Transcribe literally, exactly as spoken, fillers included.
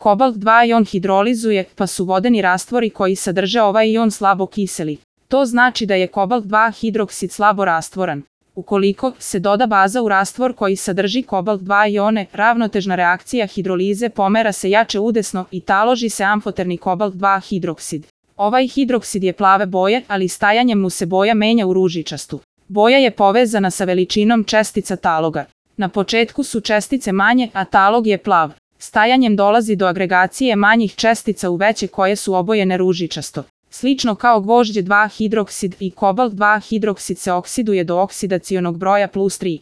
Kobalt dva ion hidrolizuje, pa su vodeni rastvori koji sadrže ovaj ion slabo kiseli. To znači da je kobalt dva hidroksid slabo rastvoran. Ukoliko se doda baza u rastvor koji sadrži kobalt dva ione, ravnotežna reakcija hidrolize pomera se jače udesno i taloži se amfoterni kobalt dva hidroksid. Ovaj hidroksid je plave boje, ali stajanjem mu se boja menja u ružičastu. Boja je povezana sa veličinom čestica taloga. Na početku su čestice manje, a talog je plav. Stajanjem dolazi do agregacije manjih čestica u veće koje su obojene ružičasto. Slično kao gvožđe dva hidroksid i kobalt dva hidroksid se oksiduje do oksidacionog broja plus tri.